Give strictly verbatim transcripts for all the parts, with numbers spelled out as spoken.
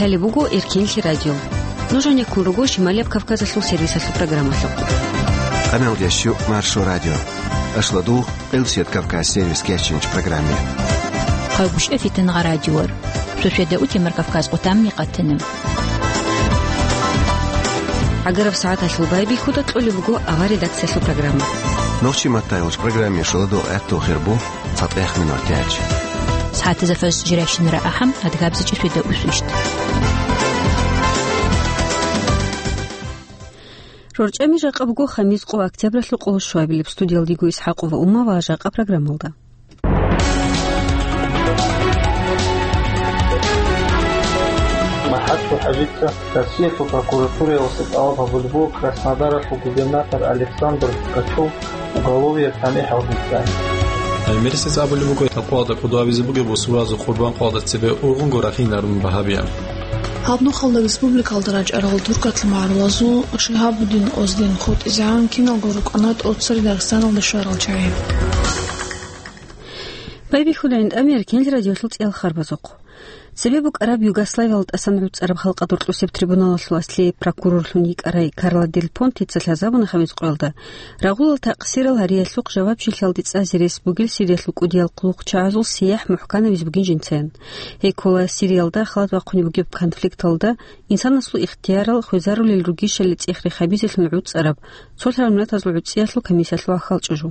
Лъалеб буго Эркенлъи радио. Нуж гьанеккун руго Шималияб Кавказалъул сервисалъул программалъухъ. Къаналдящу Маршо радио. Ашладу Къилсият Кавказ сервис кечинч программе. Хъагушев Фитнагъа радиор. Суседа Утимар Кавказ къутамни къатина. ГӀагараб сагӀаталъул байбихьуда кьолеб буго авар редакциялъул программа. Нохчи маттайолч программе шуладу гӀатту хирбу. ЦатӀех минут яч. СагӀатазда фарз жиращинара ахӀам, адгабзичи суда усвищт. РорчӀами жакъа буго хамис къо октябралъул къоло щуабилеб. Студиялдиго Исхакъова Ума ва жакъа программалда. МахӀачул хӀажица Россиялъул прокуратураялъе тӀалаб гьабулеб буго Краснодаралъул губернатор Александр Ткачев уголовияб тамихӀалде цӀай. Гьай мерсица абулеб буго, такъвалда кӀудо абизе бугеб бусурбабазул къурбан къоялда цебе ургъунго рахинарун багьабияб. Гьаб нухалда республикалда рачӀарал туркатлъи магӀарулазул Шигьабуддин Оздин хутӀизегӀан киналго рукӀана тӀоцари Дагъистаналда щварал чагӀи. Байбихьуда гӀинтӀамияр кенл радиолъул цӀиял харбазухъ. Цебе букӀараб Югославиял тӀасан гӀуцӀараб халкъалъул рокьулъ трибуналалъул аслияб прокурорлъун йикӀарай Карла Дель Понтеца лъазабуна хамис къоялда, рагъулал такъсирал гьариялъухъ жавабчилъиялде цӀазе рес бугел Сириялъул кӀудиял хъулухъчагӀазул сияхӀ мухӀканабизе бугин жинцаян. Гьей ккола Сириялда халат бахъунеб бугеб конфликталда инсанасул ихтиярал хвезарулел ругищали цӀех рехабизелъун гӀуцӀараб, цолъараб миллатазул гӀуцӀиялъул комиссиялъул ахал чӀужу.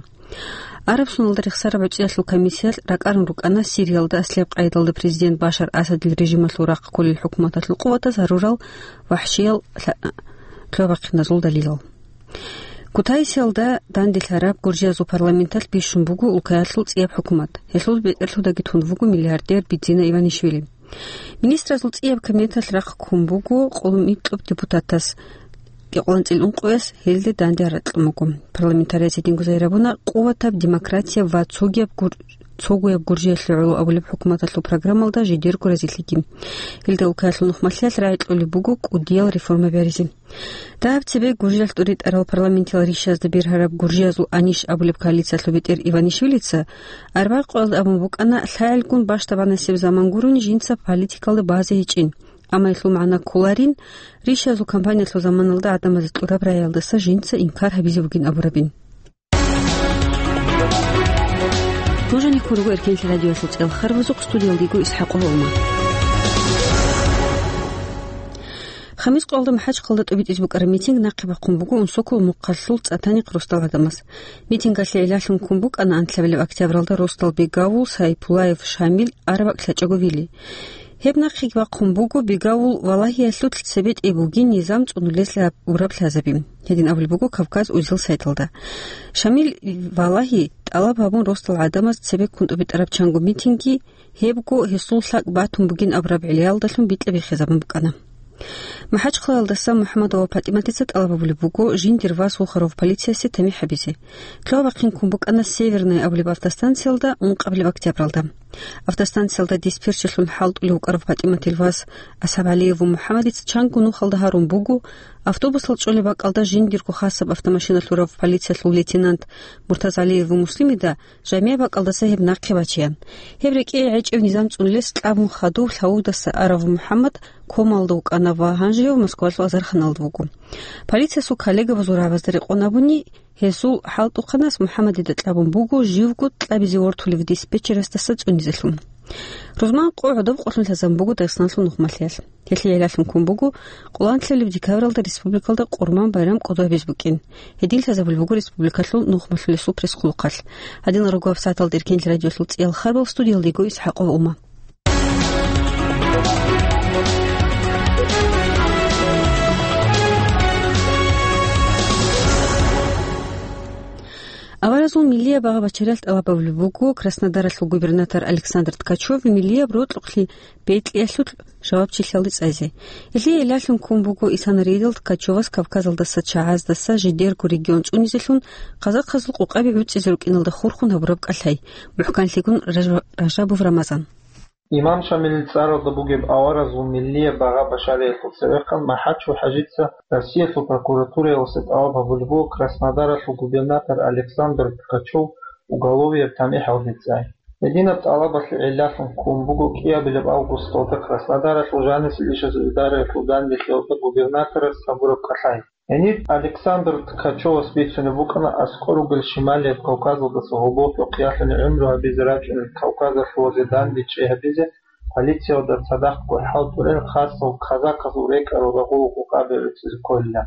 Араб соналда рехсараб гӀуцӀиялъул комиссиялъ ракӀарун рукӀана Сириялда аслияб къайдалда президент Башар Асадил режималъул рахъ кколел хӀукуматалъул къуватаз гьарурал вахӀшиял лъа-, лъугьа-бахъиназул далилал. Кутаисиялда данделъараб Гуржиязул парламенталъ бищун буго улкаялъул цӀияб хӀукумат. Гьелъул бетӀерлъудаги тун вуго миллиардер Бидзина Иванишвили. Министразул цӀияб кабинеталъ рахъ ккун буго къоло микьаб депутатас, кӀикъоялда ункъояс гьелде данде ракьун буго. Парламентарияс гьединго загьир гьабуна, къуватаб, демократияб ва цогияб гур-, цогояб Гуржиялъе гӀоло абулеб хӀукуматалъул программалда жидерго разилъиги. Гьелда улкаялъул нухмалъиялъ рагӀи кьолеб буго кӀудиял реформа бегьаризе. Дагьаб цебе Гуржиялъ тӀуритӀарал парламентиял ришазда бергьараб Гуржиязул анищ абулеб коалициялъул бетӀер Иванишвилица арбагъ къоялда абун букӀана, лъагӀелгун бащдабанасеб заман гурони жинца политикалда базе гьечӀин, амма гьелъул магӀна кколарин, ришазул кампаниялъул заманалда гӀадамазе кьураб рагӀиялдаса жинца инкар гьабизе бугин абурабин. Нуж гьанеккун руго Эркенлъи радиоялъул цӀиял харбазухъ, студиялдиго Исхакъова Ума. Хамис къоялда МахӀачхъалда тӀобитӀизе букӀараб митинг нахъе бахъун буго Унсокол мухъалъул ЦӀатанихъ росдал гӀадамаз. Митингалъе гӀиллалъун ккун букӀана анлъабилеб октябралда росдал Бегавул, Сайпулаев Шамил, Арабакь лъачӀого Вили. Гьеб нахъеги бахъун буго Бегавул Валагьиялъулъ цебетӀей бугин низам цӀунулезлъи абураб лъазаби. Гьедин абулеб буго Кавказ узел сайталда. Шамил Валагьи тӀалаб гьабун росдал гӀадамаз цебеккун тӀубитӀараб чанго митинги, гьебго гьесул лъакӀ батун бугин абураб гӀиллаялдалъун бикьа-биххизабун букӀана. МахӀачхъалаялдаса МухӀаммадова ПатӀиматица тӀалаб гьабулеб буго, жиндир вас вухарав полициясе тамихӀ гьабизе. Лъугьа-бахъин ккун букӀана Северная абулеб автостанциялда ункъабилеб октябралда. Автостанциялда диспетчерлъун хӀалтӀулев вукӀарав ПатӀиматил вас АсхӀабгӀалиев МухӀаммадица чанго нухалда гьарун буго, автобусал чӀолеб бакӀалда жиндирго хасаб автомашина лъурав полициялъул лейтенант МуртазгӀалиев Муслимида жамигӀ бакӀалдаса гьеб нахъе бачеян. Гьеб рекӀее гӀечӀев низам цӀунулес кьабун хадув лъавудаса арав МухӀаммад комалда вукӀана ва гьанжеяв Москвалъул азарханалда вуго. Полициясул коллегабазул рагӀабазда рекъон абуни, гьезул хӀалтӀухъанас МухӀаммадида кьабун буго живго кьабизе вортулев диспетчерасдаса цӀунизелъун. Рузман къо гӀодоб къолъун лъазабун буго Дагъистаналъул нухмалъиялъ. Гьелъие гӀиллалъун ккун буго къоло анлъабилеб декабралда республикалда Къурман байрам кӀодо гьабиз букӀин. Гьедин лъазабулеб буго республикалъул нухмалъулесул пресс-хъулухъалъ. Гьадинал руго гьаб сагӀаталда Эркенлъи радиоялъул цӀиял харбал, студиялдего Исхакъова Ума. Аваразул миллияб багъа-бачариял тӀалаб гьабулеб буго Краснодаралъул губернатор Александр Ткачев миллияб рокьукълъи бекьиялъул жавабчилъиялде цӀайзе. Гьелъие гӀиллалъун ккун буго исана рейдал Ткачевас Кавказалдаса чагӀаздаса жидерго регион цӀунизелъун, казахъазул къокъаби гӀуцӀизе рукӀиналда хурхун гьабураб кӀалъай, мухӀканлъигун Ража-, Ражабов Рамазан. Имам Шамилил цӀаралда бугеб аваразул миллияб багъа-башариялъул цевехъан МахӀачул ХӀажица Россиялъул прокуратураялъе тӀалаб гьабулеб буго Краснодаралъул губернатор Александр Ткачев уголовияб тамихӀалде цӀай. Гьединаб тӀалабалъе гӀиллалъун ккун буго кӀиабилеб августалда Краснодаралъул жанисел ишазул идараялъул данделъиялда губернаторас гьабураб кӀалъай. Гьениб Александр Ткачевас бицунеб букӀана аскӀор ругел Шималияб Кавказалдаса гьоболлъухъ ялъуни гӀумру гьабизе рачӀунел кавказалъулазе данде чӀей гьабизе, полициялда цадахъго хӀалтӀулел хасал казаказул рекӀарал рагъул гъукъаби гӀуцӀизе кколила.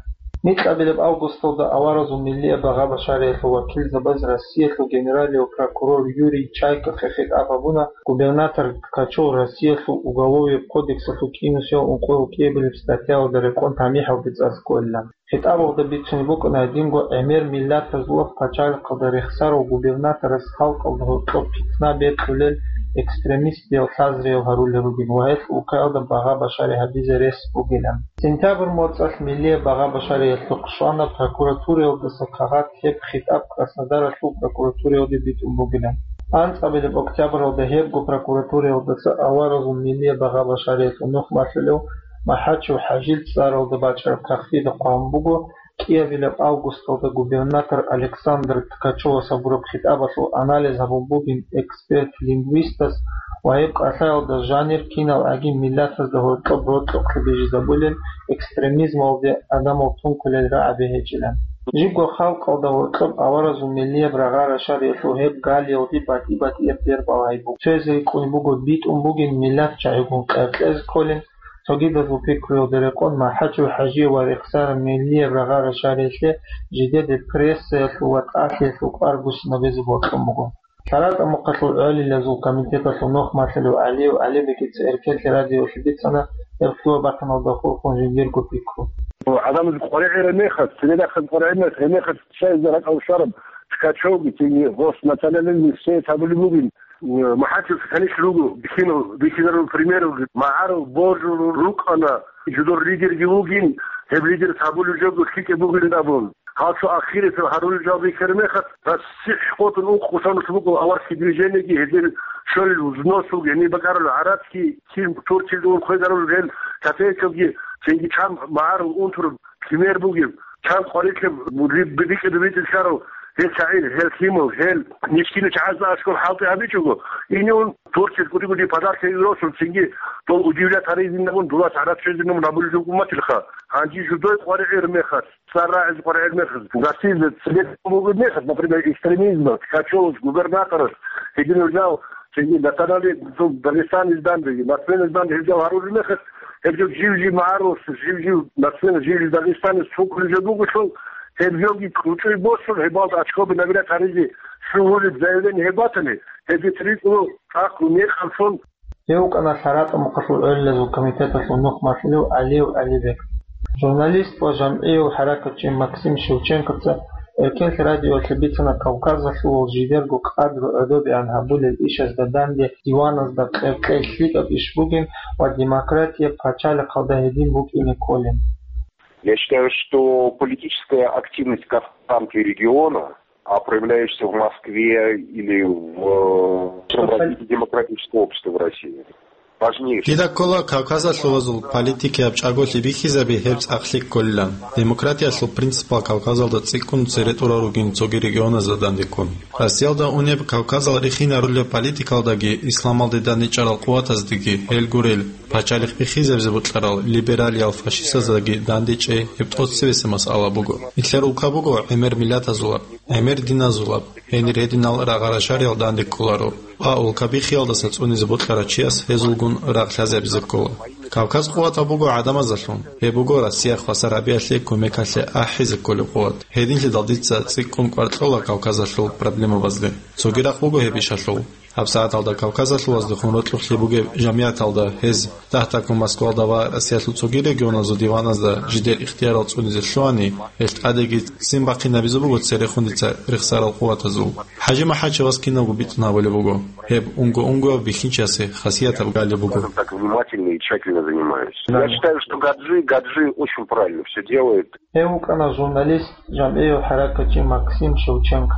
Микьабилеб августалда аваразул миллияб багъа-башариялъул вакилзабаз Россиялъул генералияв прокурор Юрий Чайкахъе хитӀаб гьабуна, губернатор Ткачев Россиялъул Уголовияб кодексалъул кӀинусиял ункъоял кӀиабилеб статьяялда рекъон тамихӀалде цӀазе кколилан. ХитӀабалда бицунеб букӀана гьединго гӀемер миллатазулаб пачалихъалда рехсарав губернаторас халкъалда гьоркьоб питна бекьулел, экстремистиял лъазриял гьарулел ругин ва гьелъ улкаялда багъа-башари гьабизе рес бугилан. Сентябрь моцӀалъ миллияб багъа-башариялъухъ щвана прокуратураялдаса кагъат, гьеб хитӀаб Краснодаралъул прокуратураялде битӀун бугилан. АнцӀабилеб октябралда гьебго прокуратураялдаса аваразул миллияб багъа-башариялъул нух малъулев МахӀачев ХӀажил цӀаралда бачӀараб кагътида хъван буго, кӀиабилеб августалда губернатор Александр Ткачевас гьабураб хитӀабалъул анализ гьабун бугин эксперт-лингвистас ва гьеб кӀалъаялда жанир кинал гӀагин миллатазда гьоркьоб рокьукълъи бижизабулел, экстремизмалде адамал тункулел рагӀаби гьечӀилан. Жибго халкъалда гьоркьоб аваразул миллияб рагъа-рашариялъул гьеб галиялде батӀи-батӀияб бербал гьайбу. Цояз рикӀкӀунеб буго битӀун бугин миллат чагӀигун къеркьезе кколин, цогидазул пикруялда рекъон МахӀачев ХӀажие ва рехсараб миллияб рагъа-рашариялъе жидеде прессаялъул ва тӀалъиялъул кӀвар буссинабизе бокьун буго. ЛъаратӀа мухъалъул гӀолилазул комитеталъул нух малъулев ГӀалиев ГӀалибегица Эркенлъи радиоялъе бицана гьеб лъугьа-бахъиналда хурхун жиндирго пикру. ГӀадамаз къваригӀераб мехалъ, цинги рахъаз къваригӀераб мехалъ, цинги рахъаз къваригӀераб мехалъ, Шайза ракӀалде щвараб гъос национальный листее гьабулеб бугин. МахӀачев канилъ руго, бихьинав, бихьинарул примералги, магӀарул божун рукӀана, жидер лидерги вугин, гьеб лидер гьабулеб жого лъикӀаб бугин абун. Гьалчо ахирисеб гьарулел жал бихьараб мехалъ, РосихӀ къотӀун ункъо хъусанулъ буго аварский движениеги, гьезие щолел взносулги, гьениб бакӀарулел гӀарацги, кин Турциялде хвезарулел гьел копейкалги, цинги чан магӀарул унтараб пример бугеб, чан къварилъи рикӀкӀад битӀилъарав гьел шагӀир, гьел лъимал, гьел мискинав чагӀазда аскӀоб хӀалтӀи гьабичӀого, ине ун Турциялъ кӀуди-кӀуди подаркаги росун, цинги дол удивлять гьаризинабун, дулас гӀарацӀ щвезинабун гьабулеб жо гьуматилха. Гьанже жидер къваригӀераб мехалъ, цӀар рагӀизе къваригӀераб мехалъ, гьасие цебе бугеб мехалъ, например, экстремизмалъ, Ткачевалъ, губернаторалъ, гьединал жал, цинги национальный, ну, Дагестаниялъ данде, нацменалъ данде гьел жал гьарулел мехалъ, гьеб жо жив-жив магӀарулас, жив-жив нацменалъ, жив-жив дагестанец цо кколеб жо бугелъул, гьеб жоги кьучӀой босун, гьебалда очкоби набирать гьаризе лъугьунеб заявление гьеб батани, гьезие рикӀкӀуна цӀакъго мекъаб лъун. Гьев вукӀана ЛъаратӀа мухъалъул гӀолилазул комитеталъул нух малъулев ГӀалиев ГӀалибек. Журналист ва жамгӀияв хӀаракатчи Максим Шевченкоца Эркенлъи радиоялъе бицана Кавказалъулал жидерго къадру гӀодобегӀан гьабулел ишазда данде диваназда къеркьей лъикӀаб иш бугин ва демократияб пачалихъалда гьедин букӀине кколин. Я считаю, что политическая активность гражданки региона, а проявляющаяся в Москве или в, э, всём развитии демократического общества в России, важнейшая. Дида ккола кавказалъулазул политикияб чӀаголъи бихьизаби гьеб цӀакълъи кколилан. Демократиялъул принципал Кавказалда цӀикӀкӀун цере тӀурал ругин цоги регионазда дандеккун. Россиялда унеб Кавказал рихинарулеб политикалдаги исламалде дандечӀарал къуватаздеги гьел гурел, пачалихъ бихьизабизе бокьарал либералиял фашистаздаги дандечӀей гьеб тӀоцебесеб масъала буго. Нилъер улка буго гӀемер миллатазулаб, гӀемер диназулаб, гьенир гьединал рагъа-рашариял данде кколаро. Ва улка биххиялдаса цӀунизе бокьарав чияс гьезулгун рагъ лъазабизе ккола. Кавказ къуватаб буго гӀадамазалъун, гьеб буго Россия хвасар гьабиялъе кумекалъе ахӀизе кколеб къуват. Гьединлъидал дица цӀикӀкӀун кӀвар кьола Кавказалъул проблемабазде. Цоги рахъ буго гьеб ишалъул. ГьабсагӀаталда Кавказалъулаздехун рокьулъи бугеб жамигӀаталда гьез, дагь-дагьккун Москвалда ва Россиялъул цоги регионазул диваназда жидер ихтиярал цӀунизе лъугьани, гьелъ тӀадеги ццин бахъинабизе буго церехун дица рехсарал къуватазул. ХӀажи МахӀачевас киналго бицун гьабулеб буго. Гьеб унго-унгояв бихьинчиясе хасиятаб галеб буго. Скажем так, внимательно и тщательно занимаюсь. Я считаю, что Гаджи, Гаджи очень правильно всё делает. Гьев вукӀана журналист, жамгӀияв хӀаракатчи Максим Шевченко.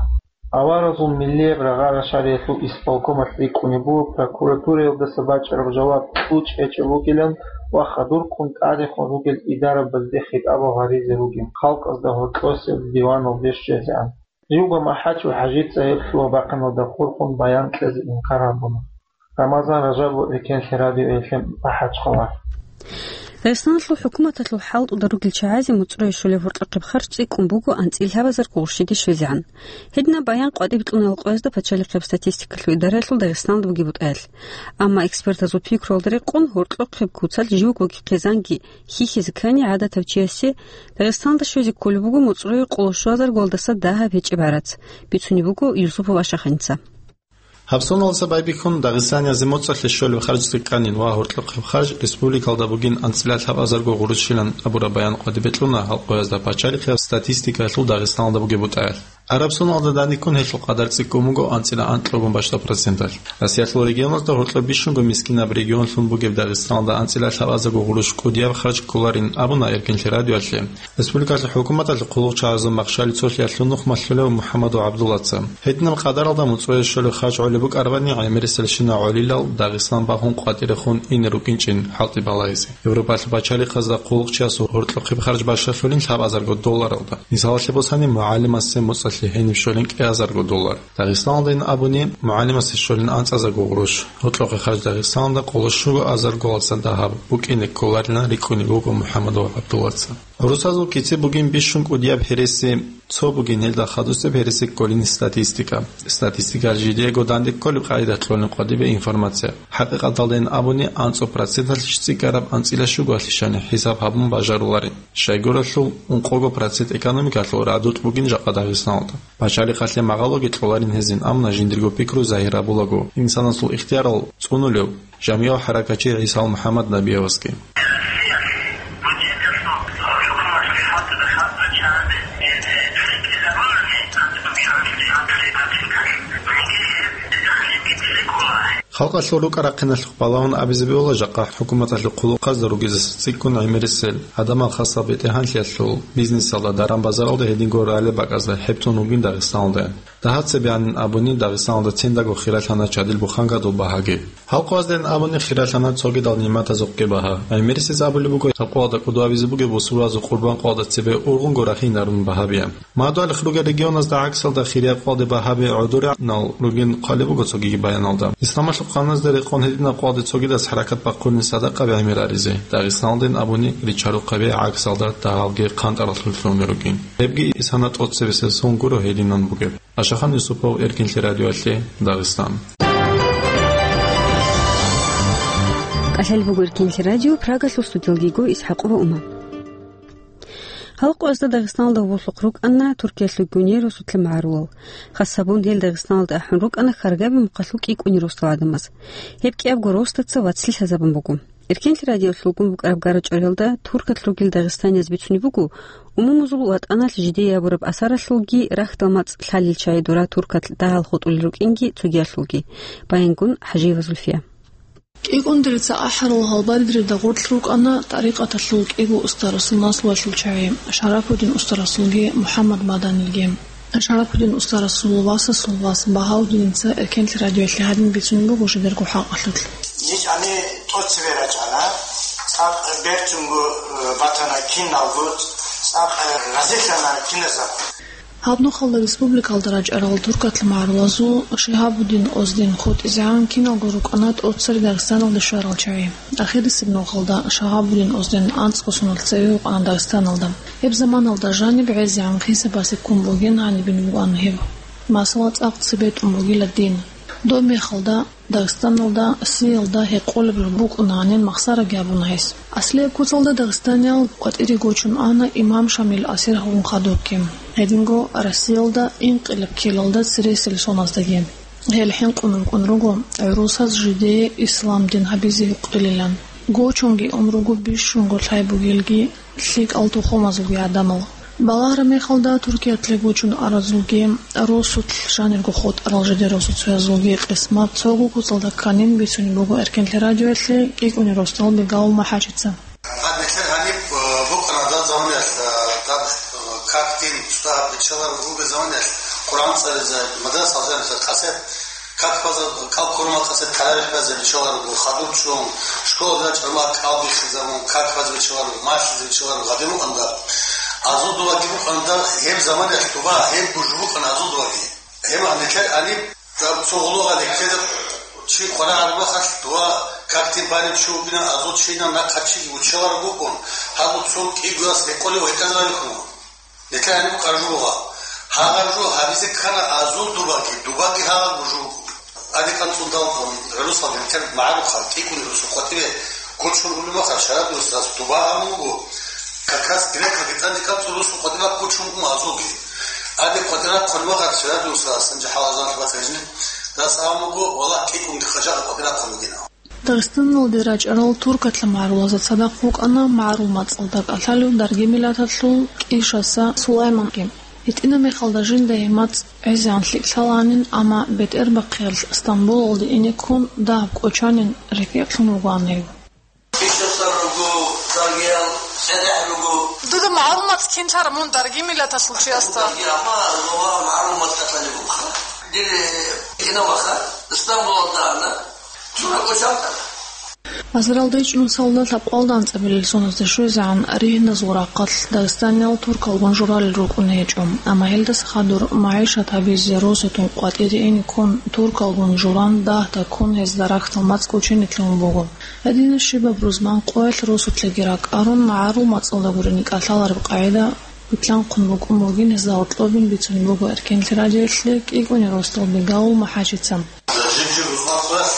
Аваразул миллияб рагъа-рашариялъул исполкомалъ рикӀкӀунеб буго прокуратураялдаса бачӀараб жаваб кьучӀ гьечӀеб бугилан ва хадурккун тӀадехун ругел идарабазде хитӀабал гьаризе ругин, халкъазда гьоркьосеб диваналде щвезегӀан. Живго МахӀач ва ХӀажица гьеб лъугьа-бахъиналда хурхун баян кьезе инкар гьабуна. Рамазан Ражабов, Эркенлъи радиоялъе, МахӀачхъала. Дагъистаналъул хӀукуматалъул хӀалтӀуда ругел чагӀазе моцӀрое щолеб гьоркьохъеб харж цӀикӀкӀун буго анцӀила лъабазарго гъурщиде щвезегӀан. Гьединаб баян къватӀибе кьуна гьалкъоязда пачалихъияб статистикалъул идараялъул Дагъистаналда бугеб бутӀаялъ. Амма экспертазул пикруялда рекъон, гьоркьохъеб куцалъ живгоги хъизанги хьихьизе ккани, гӀадатав чиясе Дагъистаналда щвезе кколеб буго моцӀрое къоло щуазарго валдаса дагьаб гьечӀеб гӀарац, бицунеб буго Юсупов Ашаханица. Гьаб соналдаса байбихьун, дагъистаниязе моцӀалъе щолеб харж цӀикӀкӀанин ва гьоркьохъеб харж республикалда бугин анцӀила лъабазарго гъурущилан абураб баян къватӀибе кьуна гьалкъоязда пачалихъияб статистикаялъул Дагъистаналда бугеб бутӀаялъ. Араб соналда даниккун гьелъул къадар цӀикӀкӀун буго анцӀила анкьабго бащдаб проценталъ. Россиялъул регионазда гьоркьоб бищунго мискинаб регионлъун бугеб Дагъистаналда анцӀила лъабазарго гъурущ кӀудияб харж кколарин абуна Эркенлъи радиоялъе республикалъул хӀукуматалъул хъулухъчагӀазул махщали цолъиялъул нух малъулев МухӀаммадов ГӀабдуллаца. Гьединаб къадаралда моцӀрое щолеб харж гӀолеб букӀарабани, гӀемерисел щинал гӀолилал Дагъистан бахун къватӀирехун ине рукӀинчӀин хӀалтӀи балагьизе. Европалъул пачалихъазда хъулухъчиясул гьоркьохъеб харж бащалъулин лъабазарго долларалда. Мисалалъе босани, мугӀалимасе моцӀалъе гьениб щолин кӀиазарго доллар. Дагъистаналдайин абуни, мугӀалимасе щолин анцӀазарго гъурущ, гьоркьохъеб харж Дагъистаналда къоло щуго азарго валдаса дагьаб букӀине кколарилан рикӀкӀунеб буго МухӀаммадов ГӀабдуллаца. ГӀурусазул кици бугин бищун кӀудияб гьереси, цо бугин гьелда хадусеб гьереси кколин статистика. Статистикаялъ жидеего данде кколеб къагӀида кьолин къватӀибе информация. ХӀакъикъаталдайин абуни, анцӀго проценталъищ цӀикӀкӀараб анцӀила щугоялъищани хӀисаб гьабун бажаруларин. Щайгурелъул ункъого процент экономикалъул радутӀ бугин жакъа Дагъистаналда. Пачалихъалъе магъалоги кьоларин гьезин, амма жиндирго пикру загьир гьабулаго, инсанасул ихтиярал цӀунулев жамигӀав хӀаракатчи ГӀисал МухӀаммад Набиевасги. Халкъалъул рукӀа-рахъиналъухъ балагьун абизе бегьула жакъа хӀукуматалъул хъулухъазда ругезеса цӀикӀкӀун гӀемерисел, гӀадамал хасаб бетӀергьанлъиялъул, бизнесалда, даран-базаралда, гьединго ралеб бакӀазда хӀебцун ругин Дагъистаналда. Дагьаб цебе гӀанин абуни, Дагъистаналда циндаго хиралъана чадил буханкадул багьаги. Гьалкъояздайин абуни, хиралъана цогидал нигӀматазухъги багьа. ГӀемерисез абулеб буго, гьалкъоялда кӀудо абизе бугеб бусурбабазул къурбан къоялда цебе ургъунго рахинарун багьабияб. Мадугьалихъ ругел регионазда гӀаксалда хирияб къоялде багьаби гӀодоринал ругин хъвалеб буго цогиги баяналда. Исламалъул къануназда рекъон гьединаб къоялде цогидас хӀаракат бахъулин садакъаби гӀемер гьаризе, Дагъистаналдайин абуни ричарухъаби гӀаксалда дагьабги къантӀаралъур лъугьунел ругин. Гьебги исана тӀоцебесеб сон гуро гьединан бугеб. Ашахан Юсупов, Эркинлъи радиоялъе, Дагъистан. КӀалъалеб буго Эркинлъи радио, Прагалъул студиялги йиго ИсхӀакъова Ума. Халкъоязда Дагъистаналда вугьулъухъ рукӀана Туркиялъул гуней росулъа магӀарулал. Хас гьабун гьел Дагъистаналда ахӀун рукӀана хьаргаби мухъалъул кӀикӀунел росдал гӀадамаз. Гьеб кӀиябго росдаца вацлъи лъазабун буго. Эркенлъи радиолъулгун букӀараб гарачӀоралда туркат ругел дагъистанияз бицунеб буго, умумузул ватӀаналъ жидее гьабураб асаралъулги, рахьдал мацӀ лъалел чагӀи дура туркат дагьал хутӀулел рукӀинги цогиялъулги. Баянгун ХӀажиева Зульфия. КӀикӀундерица ахӀарал гьалбадрида гъорлъ рукӀана тӀарикъаталъул кӀиго устарасул наслуялъул чагӀи, Шарапудин устарасулги МухӀаммад Маданилги. Шарапудин устарасул васасул вас Багьаудиница Эркенлъи радиоялъе гьадин бицунеб буго жидерго хӀакъалъулъ. Жиз гьаниб тӀоцебе рачӀана, цӀакъ берцунго, э, батана киналго, цӀакъ, э, разилъана киназаб. Гьаб нухалда республикалда рачӀарал туркатлъи магӀарулазул Шигьабуддин Оздин хутӀизегӀан киналго рукӀана тӀоцере Дагъистаналде щварал чагӀи. Ахирисеб нухалда Шагьабуддин Оздин анцӀго соналъ цеве вукӀана Дагъистаналда. Гьеб заманалда жаниб гӀезегӀан хисабасе ккун бугин гьанибин букӀана гьеб. Масала, цӀакъ цебетӀун бугила дин. Доб мехалда Дагъистаналда, Россиялда гьекъолеб букӀуна гьанин махсараги гьабуна гьес. Аслияб куцалда дагъистаниял къватӀире гочун ана имам Шамил асир гьавун хадубги. Гьединго Россиялда инкъилаб ккелалда цересел соназдеги. Гьел хӀинкъун рукӀун руго гӀурусаз жидее ислам дин гьабизе гьукъилилан. Гочунги ун руго бищунго лъай бугелги лъикӀал тухумазулги гӀадамал. Балагьараб мехалда Туркиялде гочун аразулги, росулъ жанирго хутӀарал жидер росуцоязулги къисмат цого куцалда кканин бицунеб буго Эркенлъи радиоялъе кӀикӀунел росдал Бегал МахӀачица. Гьаб нилъер гьаниб, э, букӀана доб заманаялъ, э, доб, э, как дин, что гьаб бичеларун ругел заманаялъ, Къуръан цӀализе, мадрасаялъ жаниб къасе Как база кӀал ккурмал къасе тарабих базе бичеларо, хадуб чӀун, школалда чӀармал кӀал биххизабун, как базе бичеларо, малъизе бичеларо, гъадин мукъанда. Азул дубаги букӀана гьеб заманаялъ дуба, гьеб гужу букӀана азул дубаги. Гьеб гьанекер аниб, гьаб цо гъулугъа лекер чи къварагӀараб мехалъ дуба какде барев чи вугина, азул чина нахъа чиги учелараб букӀун, гьаб цо кӀигояс гьекъолев гьекъезабихьун. Нилъер гьаниб къаржу бугъа. Гьагъаб жо гьабизе ккана азул дубаги, дубаги гьагъаб жо. Аде кӀанцӀун далкъун, гӀурусал гьанкер магӀарухъа кӀикӀун русу къватӀибе гочун улеб мехалъ, шараб русас дуба гьабун буго. Как раз грекаги тӀаде кӀанцӀун русу къватӀибе гочун уго азулги. Аде къватӀира хъван мехалъ, шараб русас, анжи хӀалазан хабар хӀежни, дас гьабун буго, валлагь, кӀикӀунги хъажагъа къватӀира хъван бугина. Дагъистаналде рачӀарал туркатла магӀарулазда цадахъ вукӀана магӀарул мацӀалда кӀалъалев дарги миллаталъул КӀишаса Сулайманги. ГьитӀинаб мехалда жинда гьеб мацӀ гӀезегӀан лъикӀ лъалаанин, амма бетӀербахъиялъ Стамбулалде ине ккун дагьаб кӀочанин рекӀекълъун вугоан гьев. КӀишаса руго, даргиял цӀедехӀ руго. Дуда магӀарул мацӀ кин лъара мун дарги миллаталъул чиясда? Дарги, амма магӀарул мацӀ кӀалъалеб буха. Дир, э, кинабаха, Стамбулалда ана. Азаралда ичӀнусалда лъабкъоялда анцӀабилел соналъ щвезегӀан ригьназул рахъалъ Дагъистаниял туркалгун журалел рукӀун гьечӀо, амма гьелдаса хадур магӀишат гьабизе росатун къватӀире ине ккун туркалгун журан дагьда ккун гьезда рахьдал мацӀ кӀочине лъугьун буго. Гьединаб щибаб рузман къоялъ росулъеги ракӀарун магӀарул мацӀалда гурони кӀалъалареб къагӀида битлъанхъун букӀун бугин гьезда гьоркьобин бицунеб буго Эркенлъи радиоялъе КӀикӀуни росдал Бегавул МухӀажица. Жиб-жиб рузман къоялъ,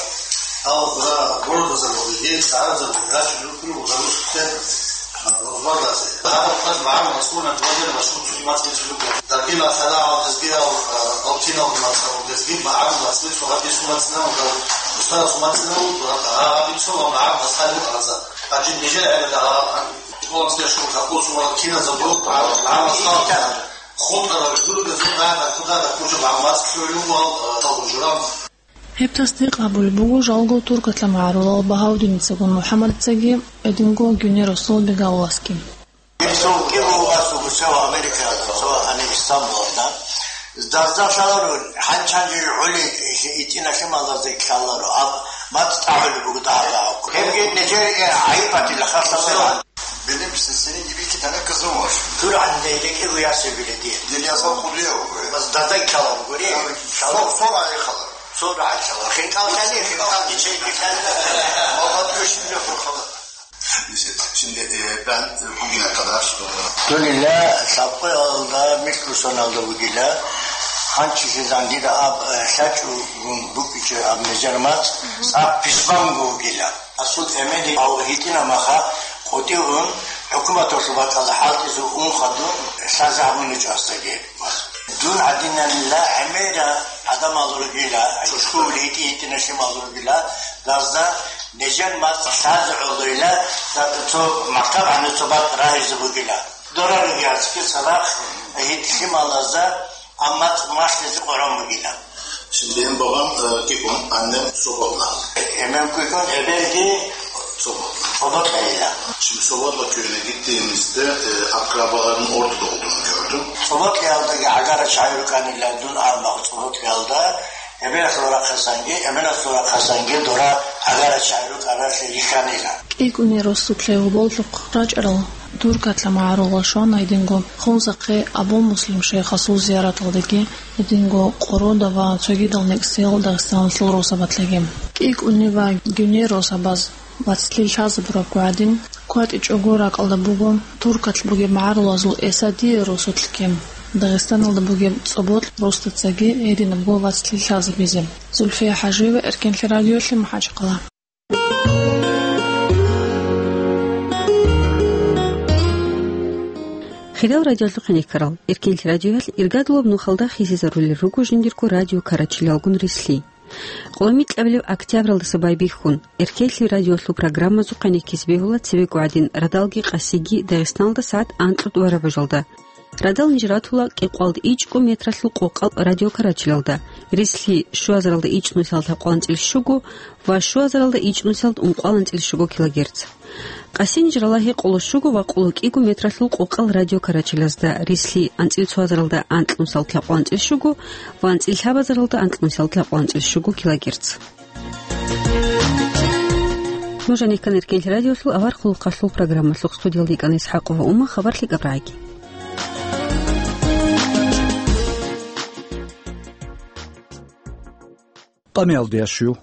гьал, гьа, городазабазеги, шагьарзабазеги гьачӀун рукӀун буго русулъе, а, рузмандазе. Гьаб къоялъ магӀарул мацӀ гурони, гьадинаб машгьур цоги мацӀ бицун буго. Даргиял лъала гьал лезгиял, а, гьал киналго мацӀ гьал лезги, магӀарул мацӀ бицун, гьаб бицун мацӀ гьал, устарасул мацӀ гьал, а, гьаб бицун ва магӀарул мацӀ гьал гьал. Гьанже нижер гӀелда гьал, а, школаялъ щун гьаб бицун ва киназаб буго, а, магӀарул мацӀ гьал. ХутӀарал журугазул гӀада кутӀараб кучӀаб гӀаммац кколев вал, а, тавбужураб. Гьеб тасдикъ гьабулеб буго жалго туркатла магӀарулал Багьавдиницаго МухӀаммадицаги, гьединго Гьуни росдал Бегавуласги. Цо кӀиго вас уго цо Америкаялда, цо гьаниб Истамбулалда. Дазда лъаларо, гьанчанчи гӀули итӀина лъималазда лъаларо, аб мацӀ тӀагӀулеб буго дагьа-дагьа. Гьебги нижер гӀайиб батила, хасаб. Белеб сесенин гьибикки тана казумаш. Тур гьанже рекӀего ясеб биле дие. Дил ясал худуя угуре. Бас дазай калал гури. Сор, сор ай халар. Сор ай халар. Хинкал хали, хинкал гичей хали. Мамат гошин ле халар. Şimdi, e, ben, e, bugüne kadar, e, Дунила лъабкъоялда микросоналда вугила, ханчи сезан дида аб, э, лъачӀугун букӀичӀо аб мезер мацӀ, цӀакъ писманго вугила. Асул Эмели гьав гьитӀина маха къотӀигъун, хӀукуматалъул бакӀалда хӀалтӀизе ун хадуб лъазе гьабун гьечӀо асдаги. Дун гьадинанила гӀемерал гӀадамал ругила, чӀужкули гьитӀи-гьитӀина лъимал ругила, дазда нижер мацӀ лъазе гӀолойила, цо мактаб гьанив цо бакӀ рагьизе бугила. Дора ругеяцги цадахъ гьитӀи лъималазда амма мацӀ малъизе къваран бугила. Şimdi hem babam, e, Kikon, annem Sobotla. Hemen Kikon, ebelgi Sobotla. Sobotla ile. Şimdi Sobotla köyüne gittiğimizde, e, akrabaların orada olduğunu gördüm. Соботлиялдаги гӀагара чагӀи рукӀанила дун амма Соботлиялда, эбелалъул рахъасанги, эменалъул рахъасанги дора гӀагара чагӀи рукӀаралъе рихьанила. КӀикӀуни росулъе гьоболлъухъ рачӀарал туркатла магӀарулал щвана гьединго Хунзахъе Абу Муслим шайхасул зияраталдаги, гьединго Къорода ва цогидал некӀсиял Дагъистаналъул росабалъеги. КӀикӀуни ва Гьуни росабаз вацлъи лъазабураб гӀадин, кватӀичӀого ракӀалда буго туркат бугеб магӀарулазул Эсадия росулъги, Дагъистаналда бугеб ЦӀобокь росдацаги гьединабго вацлъи лъазабизе. Зульфия ХӀажиева, Эркенлъи радиолъи, МахӀачхъала. Хириял радиолъухъ гьенеккарал, Эркенлъи радиоялъ иргадулаб нухалда хисизарулел руго жиндирго радио карачилалгун рилълъи. Къоло микьабилеб октябралдаса байбихьун, Эркенлъи радиолъул программазухъе гьенеккизе бегьула цебего гӀадин радалги къасиги Дагъистаналда сагӀат анкьго тӀураб бажалда. Радал ниж ратула кӀикъоялда ичӀго метралъул къокъал радио карачилалда, рилълъи щуазаралда ичӀнусиялда лъабкъоялда анцӀила щуго ва щуазаралда ичӀнусиялда ункъоялда анцӀила щуго килогерц. Къаси ниж рала гьекъоло щуго ва къоло кӀиго метралъул къокъал радио карачилазда, рилълъи анцӀила цоазаралда анкьнусиялда лъабкъоялда анцӀила щуго ва анцӀила лъабазаралда анкьнусиялда лъабкъоялда анцӀила щуго килогерц. Нуж гьенеккана Эркенлъи радиолъул авар хъулухъалъул программалъухъ, студиялда йикӀана ИсхӀакъова Ума. Хабар лъикӀаб рагӀаги. Амиялдиящу.